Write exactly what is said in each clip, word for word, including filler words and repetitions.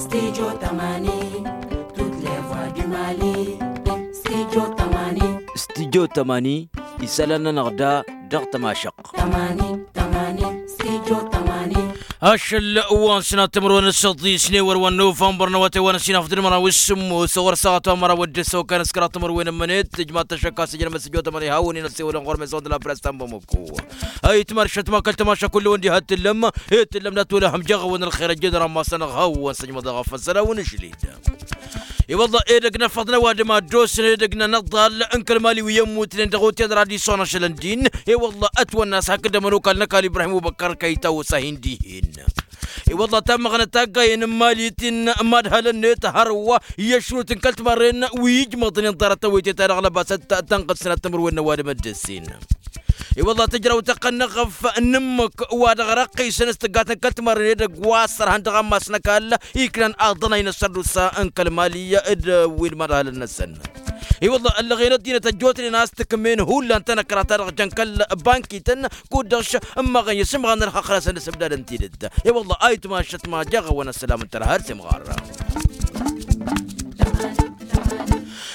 Studio tămani. Tut levoi du mali. Studio tămani. Studio tămani. Isălan-nănăɣ da dăɣ-tămašăɣt. Tămani tămani. Studio tămani. Ašăl wa n-sănat timǝrwen s-săḍis n-ewăr wa n-novămbăr n-awătay wa n-ăsinafăḍ d-măraw s-sǝmmos ɣur-săɣăt wa n-măraw d-ăssokan s-kăraḍ timǝrwen n-mănet tǝjmat tăšăkka s-ijăn măsăjo tămani hawăn-in ăssewălăn ɣur-mezon d-la press ta n-bamăko. Ayǝtmar šătma kăl-tămaša kull-ewăn diha t-tǝllăm. He t-tǝllăm d-atwălăhăm jăɣ-awăn ălxer ăjjădăr ammasăn ăɣhawăn săjmăḍ-aɣ afăssăl a-wen ǝžlid. I-wălla edăgg n-afăḍ n-ăwadǝm ad-dd-osăn edăgg n-anăḍḍal n-kăl-mali wi ămmutnen dăɣ-otel radison ašălăn din. I-wălla ătwănna a-s hakd ămănokal n-ăkall ibrahim ubăkkăr kăyta osa hin-dihen. I-wălla tammăɣnăt taggayen n-mali ti n-mad-hălăn-net hărwa i-ăšrut n-kăl-timarren wi ijmăḍnen ḍarăt tawăytet-ta-dăɣ lăbasăt tănɣǝd sănat timǝrwen n-ăwadǝm dd-ăssin. I-wălla tǝjraw tăqqăn n-eɣăf n-ǝmmǝk wa dăɣ-răqqisăn s-tǝggatăn kăl-timarren edăgg wa ăssărhăn dăɣ-ammas n-ăkall iknan aḍănay n-ăssărdusa n-kăl-mali d-wi n-imadhalăn-năsăn. I-wălla ăllăɣen ăddinăt ăjjootnen a-s tǝkmen hullan tanăkra-ta-dăɣ jăn kăl-bankităn kud-dăɣ š-ǝmmăɣăn i-sǝmɣan n-ălxăqq-năsăn d-asǝbdadăn tidǝt. I-wălla ayǝtma ăššătma jaɣ-awăn ăssălam n-tărha har s-imɣarra.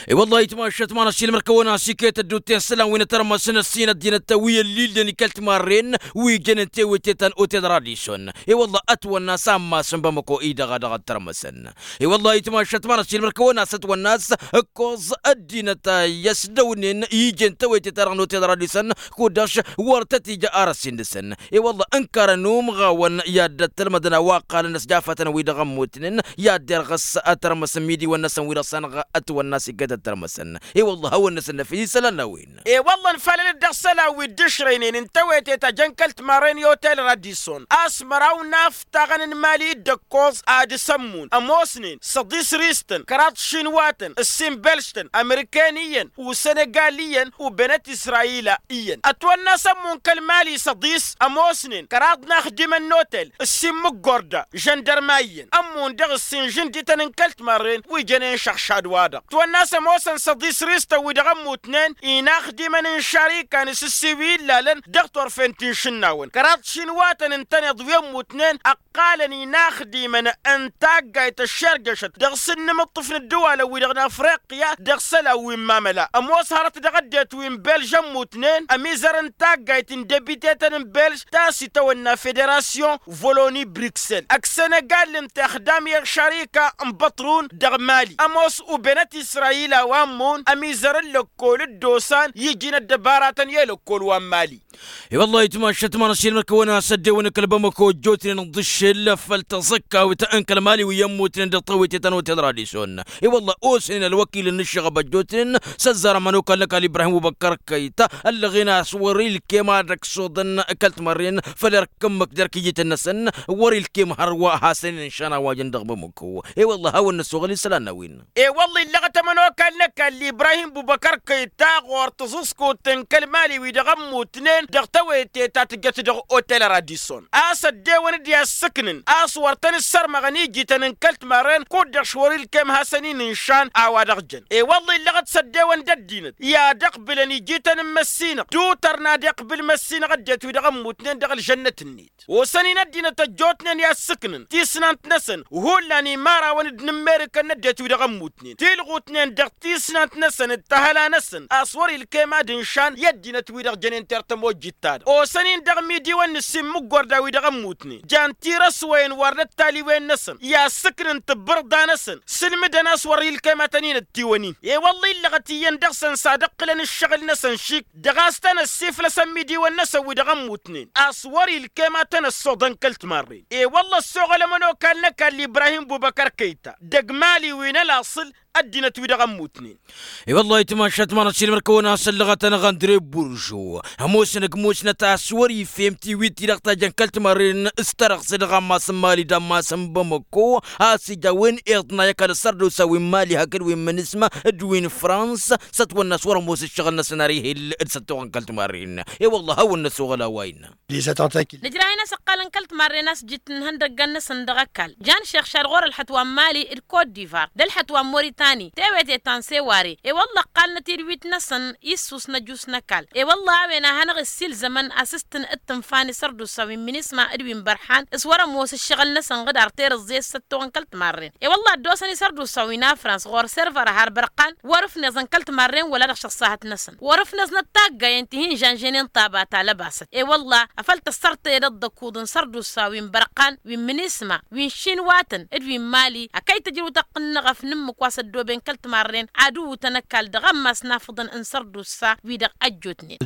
I-wălla ayǝtma ăššătma n-ăssiilmăr-kăwăn-as iket ădduutten isălan wi n-atărmăsăn ăssin ăddinăt wi ăllilden i-kăl-timarren wi jănen tewete ta n-otel radison. I-wălla ătwănna a-s ammas n-bamăko-i dăɣ-a dăɣ-ăttărmăsăn. I-wălla ayǝtma ăššătma n-ăssiilmăr-kăwăn-as ătwănna a-s ǝkkoẓ ăddinăt a i-ăsdăwnen ijen tewete-ta-dăɣ n-otel radison kud-dăɣ š-wăr tăt-ija arăs-in dăɣ-săn. I-wălla ǝnkarăn umɣawăn i-ad-dd-ăttălmădăn a-wa ǝqqalăn ăsjafatăn-wi-dăɣ ămmutnen i-ad-derɣ s-atărmăs n-imidiwăn-năsăn wi dăɣ-săn ătwănna a-s iket ăttărmăsăn. I-wălla hawăn-năsăn năfis isălan n-a-wen. I-wălla ănfalăn-dd dăɣ-isălan wi dd-išrăynen n-tewete ta jăn kăl-timarren i-otel radison a-s măraw n-aftaɣăn n-imali d-ǝkkoẓ ad-sămmun ămoosnen săḍis ristăn kăraḍ šinwatăn ǝssin belštăn amărikăn iyyăn u-sănegal iyyăn u-benet israyila iyyăn ătwănna a-s ămmun kăl-mali săḍis ămoosnen kăraḍ n-axdimăn n-otel ǝssin mǝggorda žăndărma iyyăn ămmun dăɣ-ǝssin žǝndităn n-kăl-timarren wi jănen šăɣšad-wa-dăɣ ătwănna a-s ămoosăn săḍis ristăn wi-dăɣ ămmutnen inaxdimăn n-šarikan s-ǝssi wi ǝllalăn dăɣ-turfen ti n-išǝnnawăn kăraḍ šinwatăn ǝntăneḍ wi ămmutnen ăqqalăn inaxdimăn n-taggayt ăššerjăšăt dăɣ-s ǝnnǝmǝṭṭǝf n-ǝddǝwalăn-wi-dăɣ n-afriqya dăɣ-isălan wi n-mamăla ămoos hărăt dăɣ-ăddinăt wi n-belž ămmutnen ămizăr n-taggayt n-debitetăn n-belž ta s-itawănna federasyon voloni bruksel ăgg senegal ǝnta ixdam i-ăššărika n-băṭrun dăɣ-mali ămoos u-benăt israyil a-wa ămmun ămizăr n-lăkkol dd-osan ijin ăddăbaratăn i-lăkkol wa n-mali. I-wăllah itmašăt ma n-asilmăr-kăwăn-as ăddewăn kăl-bamăko ăjjootnen ǝnḍǝššel făll-taẓăkkawt n-kăl-mali wi ămmutnen dăɣ-tawete ta n-otel radison. I-wăllah osnen ălwăkil n-ǝššăɣăb ăjjootnen s-ăzzar ămănokal n-ăkall ibrahim ubăkkăr kăyta ăllăɣen a-s wăr-ilkem ad-ăksuḍăn kăl-timărren făll-erk ǝmmǝk d-erk ijităn-năsăn. Wăr-ilkem hărwa hasăn-in ǝnšan a-wa jăn dăɣ-bamăko. I-wăllah hawăn-năsoɣăl isălan n-a-wen. I-wălla illăɣăt ămănokal n-ăkall ibrahim bubăkăr kăyta ɣur-tǝẓǝẓkut n-kăl-mali wi-dăɣ ămmutnen dăɣ-tewete ta tǝjjăt dăɣ-otel radison a-s ăddewăn d-i-assǝknǝn a-s wăr tăn-ǝssărmăɣăn ijităn n-kăl-timarren kud-dăɣ š-wăr-ilkem hasăn-in ǝnšan a-wa dăɣ-jăn. I-wălla illăɣăt s-ăddewăn d-ăddinăt i-ad-ăqbǝlăn ijităn n-măssinăɣ tutărn ad-iqbǝl măssinăɣ ăddinăt wi-dăɣ ămmutnen dăɣ-ălžănnăt-net. Osăn-in ăddinăt ăjjootnen i-assǝknǝn tisnant-năsăn hullan imărawăn d-inǝmmerǝkăn n-ăddinăt wi-dăɣ ămmutnen tilɣutnen dăɣ-tisnant-năsăn d-tăhăla-năsăn a-s wăr-ilkem ad-ǝnšan i-ăddinăt wi-dăɣ jănen tertămojjit-ta-dăɣ osăn-in dăɣ-imidiwăn n-ǝssin mǝggorda wi-dăɣ ămmutnen jan tirăswăyăn wăr n-ăttalǝywen-năsăn i-assǝknǝn tǝbbărḍa-năsăn sǝlmǝdăn a-s wăr-ilkem ad-tăn-in-ăttiwăn-in. I-wălla illăɣăt iyyăn dăɣ-săn s-ad-ǝqqǝlăn ǝššăɣǝl-năsăn šik dăɣ-a-s tăn-ăssiflăsăn imidiwăn-năsăn wi-dăɣ ămmutnen a-s wăr-ilkem ad-tăn-ăssoḍăn kăl-timarren. I-wălla ăssoɣăl ămănokal n-ăkall ibrahim bubăkăr kăyta dăgg-mali wi n-ălaṣǝl ăddinăt wi-dăɣ ămmutnen. I-wăllah itmašat ma n-asilmăr-kăwăn-as ăllăɣăt-anăɣ andre buržo ămoosnăg musnăt a-s wăr-ifhem tiwit-i-dăɣ ta jăn kăl-timarren s-tărăɣse dăɣ-ammas n-mali d-ammas n-bamăko a-s ija a-wen iḍnay ăkall ăssărdusa wi n-mali hakd wi n-mǝnǝsma d-wi n-frans s-ătwănna a-s wăr-ămoos ǝššăɣǝl-năsăn ar ihil d-săttoɣăn kăl-timarren. I-wăllah hawăn-năsoɣăl a-wa innă. Nǝjrah-in a-s ǝqqalăn kăl-timarren a-s jǝt n-ihăndăggăn-năsăn dăɣ-ăkall jan šexšad ɣur-ălxăt wa n-mali d-kot divar d-ălxăt wa n-moritani. ănni tewete ta n-seware. E-wălla ǝqqalnăt-dd wit-năsăn issus n-ăjus n-ăkall. E-wălla a-wen a hanăɣ-issilzămăn a-s s-tăn-dd-tǝnfa n-isărdusa wi n-minisma d-wi n-bărhan s-wăr-ămoos ǝššăɣǝl-năsăn ɣǝd ar terǝẓẓe s-săttoɣ n-kăl-timarren. E-wălla ăddoosăn isărdusa wi n-afrans ɣur-server a har bărqan wăr-ǝfneẓăn kăl-timarren wăla dăɣ-išăṣṣahăt-năsăn wăr-ǝfneẓnăt taggayen ti hin-žănžăynen tabata lăbasăt. E-wălla afăl tăssărtăyăd ăḍḍăkuḍ n-sărdusa wi n-bărqan wi n-minisma wi n-šinwatăn d-wi n-mali ăkăy tǝjrǝw tăqqǝnnăɣ ăfnǝmmǝk wa s-ăddooben kăl-timarren ad-uwǝtăn ăkall dăɣ-ammas n-afǝḍăn n-sărdusa wi-dăɣ ăjjootnen.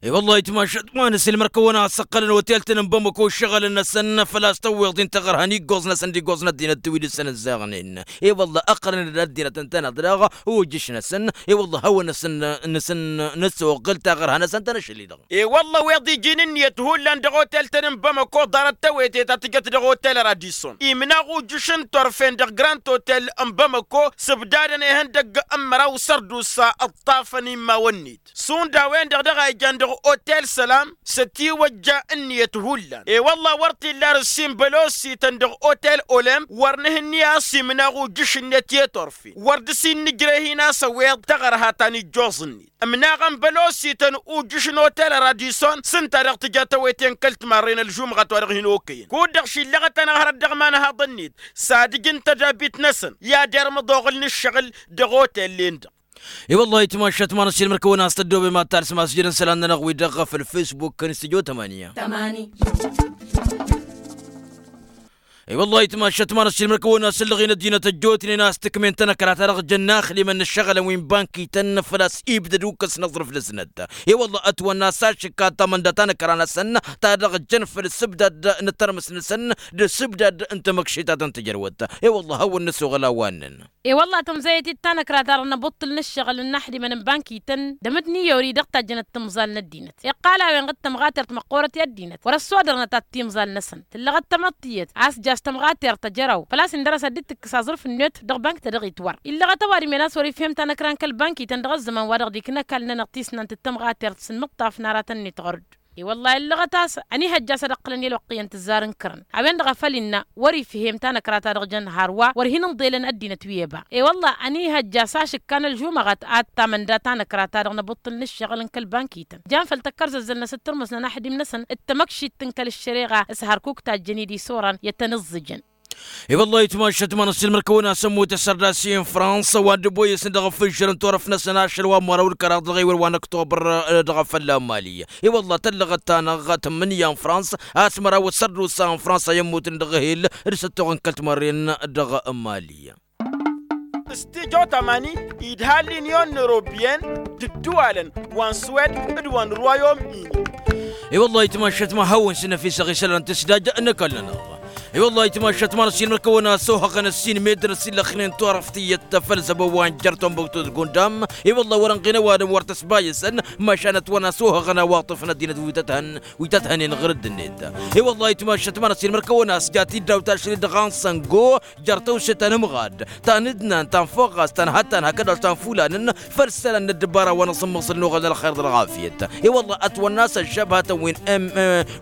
I-wăllah ayǝtmašat ma n-asǝlmăr-kăwăn a-s ăqqălăn otel-tăn n-bamăko ǝššăɣǝlăn-năsăn făl-a-s tăwweḍ-in taɣărha n-iggoẓ-năsăn d-iggoẓ n-ăddinăt wi dăɣ-săn ǝzzaɣnen. I-wăllah ăqqălăn-dd ăddinăt ǝntăneḍ daɣ ojǝš-năsăn. I-wăllah a-wa n-asǝn n-asǝn-năsoɣɣǝl taɣărha-năsăn tăn-ašăl-i-dăɣ. I-wălla ăwweḍ iji n-ǝnniyăt hullan dăɣ-otel-tăn n-bamăko ḍarăt tewăte ta tǝjăt dăɣ-otel radison imnaɣ ujǝš n-turfen dăɣ-grand otel n-bamăko s-ǝbdadăn ihăndăgg n-măraw sărdusa ǝṭṭafăn immawăn-net šund a-wen-dăɣ dăɣ-a ijan dăɣ-otel sălam s-ătiwăjja ǝnniyăt hullan. I-wălla wăr t-illa arǝssin bălosităn dăɣ-otel olem wăr nǝhǝnni a-s imnaɣ ujǝš-net i-turfen wăr dăr-s innǝjreh-in a-s ăwweḍ taɣărha ta n-ijjoẓ-net. Ǝmnaɣăn bălosităn ujǝš n-otel radison s-ǝnta dăɣ-tǝja tawăyte n-kăl-timarren ălžumɣăt wa dăɣ-hin-okăyăn kud-dăɣ šillăɣăt-anăɣ hărăt dăɣ-imanhaḍăn-net s-ad-ǝj n-tădabit-năsăn i-ad-irmǝḍ oɣǝl n-ǝššăɣǝl dăɣ-otel-en-dăɣ. I-wăllah ayǝtmašat ma n-asǝlmăr-kăwăn a-s tăddoobem ad-talsǝm a-s jădăn isălan-nănăɣ wi-dăɣ făll-facebook n-stujo tămani. I-wăllah ayǝtmašat ma n-asǝlmăr-kăwăn a-s ǝllăɣen ăddinăt ăjjootnen a-s tǝkmen tanăkra ta dăɣ-jăn inaxlimăn n-ǝššăɣǝlăn wi n-bankităn făl-a-s ibdăd ukǝs n-aẓrǝf dăɣ-snăt. I-wăllah ătwănna a-s ašǝkka tamănda tanăkra-năsăn ta dăɣ-jăn făll-ǝssǝbdad n-tărmǝs-năsăn d-ǝssǝbdad n-tamăkšit ta tăn-tǝjrăwăt. I-wăllah hawăn-năsoɣăl a-wa ǝnnăn. I-wălla tămzăyăt-dd tanăkra-ta-dăɣ n-abuṭṭǝl n-ǝššăɣǝl n-inaxdimăn n-bankităn d-amǝdniyori dăɣ-tajjănăt timẓal n-ăddinăt iqqal a-wen ɣǝd tămɣatert măqqoorăt i-ăddinăt wăr-ăssodărnăt ad-timẓal-năsăn tǝllăɣăt tamăḍt tiyyăt a-s jaš tămɣatert ăjăraw făl-a-s indăr-s ad-dd-tǝkkǝs aẓrǝf-net dăɣ-bank-ta-dăɣ itwăr illăɣăt ăwadǝm-en a-s wăr-ifhem tanăkra n-kăl-bankităn dăɣ-ăzzăman wa dăɣ-dd-ikna ăkall-nănăɣ tisnant d-tămɣatert s-inmǝṭṭaf n-aratăn-net ɣur-dd. I-wăllah illăɣăt a-s ănihăjja a-s ad-ăqqǝlăn i-ălwăqq iyyăn tǝzzar n-kărăn a-wen-dăɣ a făl innă wăr-ifhem tanăkra-ta-dăɣ jăn hărwa wăr hin-ǝnḍelăn ăddinăt wi ăba. I-wăllah ănihăjja a-s ašǝkka n-ălžumăɣăt ad-tamănda tanăkra-ta-dăɣ n-abuṭṭǝl n-ǝššăɣǝl n-kăl-bankităn jan făll-tăkkărzăzzăl-năsăn tărmǝs n-anaxdim-năsăn d-tamăkšit n-kăl-ăššăreɣa s-hărkuk tajjăn-dd isoran i-ad-tăn-ǝẓẓǝjăn. I-wăllah ayǝtmašat ma n-asǝlmăr-kăwăn a-s ămmut asărdas i-fransa wa dd-ăboyăsăn dăɣ-afǝžžăr n-turăft-năsăn ašăl wa n-măraw d-kăraḍ dăɣ-ewăl wa n-ăktobăr dăɣ-afălla n-mali. I-wăllah tăllăɣăt-anăɣ tămmǝnǝya n-fransa a-s măraw ăssărdusa n-fransa i-ămmutnen dăɣ-ehel d-săttoɣ n-kăl-timărren dăɣ-mali. S-tijo tamani idha l'union européenne d-ǝddǝwalăn wa n-suwed d-wa n-royaume-uni. I-wăllah ayǝtmašat ma hawăn-sǝnnăfisăɣ isălan tǝsdaj n-ăkall-nănăɣ. I-wăllah ayǝtmašat ma n-ăssiilmăr-kăwăn a-s ohăɣăn ăssiin meddǝn ăsillăxnen turăft iyyăt făll-zăbo wa n-jăr tombăktu d-gundam. I-wăllah wăr-ănɣinăw adǝm wăr tăsbayǝsăn măšan ătwăn a-s ohăɣăn awaṭṭǝf n-ăddinăt wi tăt-hănen ɣǝr-dd-net. I-wăllah ayǝtmašat ma n-ăssiilmăr-kăwăn a-s jat-dd daw-tašrit dăɣ-anṣăngo jer-tăwse ta n-ǝmɣad ta n-ǝdnan ta n-foɣas ta n-hăttan hakd-dăɣ ta n-fulanăn făll-isălan n-ăddăbara wa n-aẓǝmmăẓǝl n-oɣăl n-ălxer d-ălɣafyăt. I-wăllah ătwănna a-s ăššăbhătăn wi n-m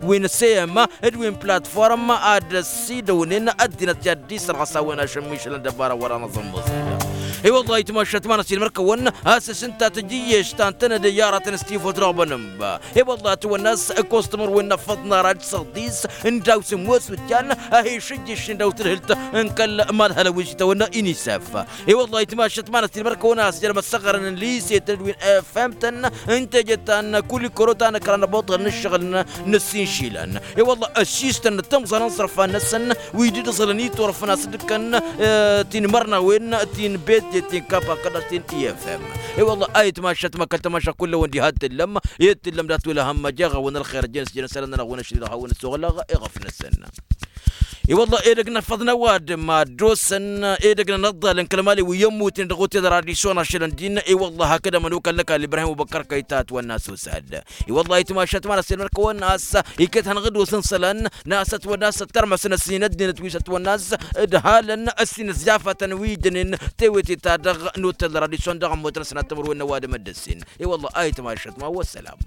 wi n-seyăm d-wi n-platform ad-ăsidăwnen ăddinăt i-ad-dd-isărɣăs a-wen ašămmišăl n-ăddăbara wa n-aẓǝmmăẓǝl. I-wăllah ayǝtmašat ma n-ăssiilmăr-kăwăn a-s s-ǝnta tǝjǝyyeš ta n-tănăde i-aratăn s-tifot dăɣ-bănămba. I-wăllah ătwănna a-s ăkostămăr wen n-ăffăḍ n-ara d-săɣdis n-daw-s ămoos wǝjjan a hi-išǝjjǝš n-daw-tǝdhǝlt n-kăl-madhălăn wi s-itawănna inisaf. I-wăllah ayǝtmašat ma n-ăssiilmăr-kăwăn a-s jer-imăssăɣărăn n-lisetăn d-wi n-efemtăn n-teje ta n-kulikoro ta n-ǝkra n-ăboṭăl n-ǝššăɣǝl n-ǝssin išilan. I-wăllah ăssiistăn d-timẓal n-iẓrǝfan-năsăn wi dd-ǝẓhǝlăn iturăfăn a-s dd-ǝkkăn ti n-imărnawen ti n-bet ti n-kapa kăl-dăɣ ti n-efem. I-wăllah ayǝtmašat ma kăl-tamaša kull-awăn diha d-tǝllăm i-dd-tǝllăm dat-wăla hămmăj eɣa-wăn ălxer ăjjăn s-jăn isălan-nănăɣ-wăn ăšlilăɣ hawăn-ăssoɣlăɣ. I-wăllah edăgg n-afăḍ n-ăwadǝm a dd-osăn edăgg n-inăḍḍalăn kăl-mali wi ămmutnen dăɣ-otel radison ašăl ǝndin. I-wăllah hakd ămănokal n-ăkall ibrahim ubăkkăr kăy-ta ătwănna a-s osad. I-wăllah ayǝtmašat ma n-ăssiilmăr-kăwăn a-s iket hanăɣ-dd-osăn isălan n-a-s ătwănna a-s ăttărmăsăn ăssin ăddinăt wi s-ătwănna a-s ǝdhalăn ăssin ăsjafatăn wi ǝjjănen tewete-ta-dăɣ n-otel radison dăɣ-ămmutăn s-inattămăr wen n-ăwadǝm ăddăsen. I-wăllah ayǝtmašat ma wăsălam.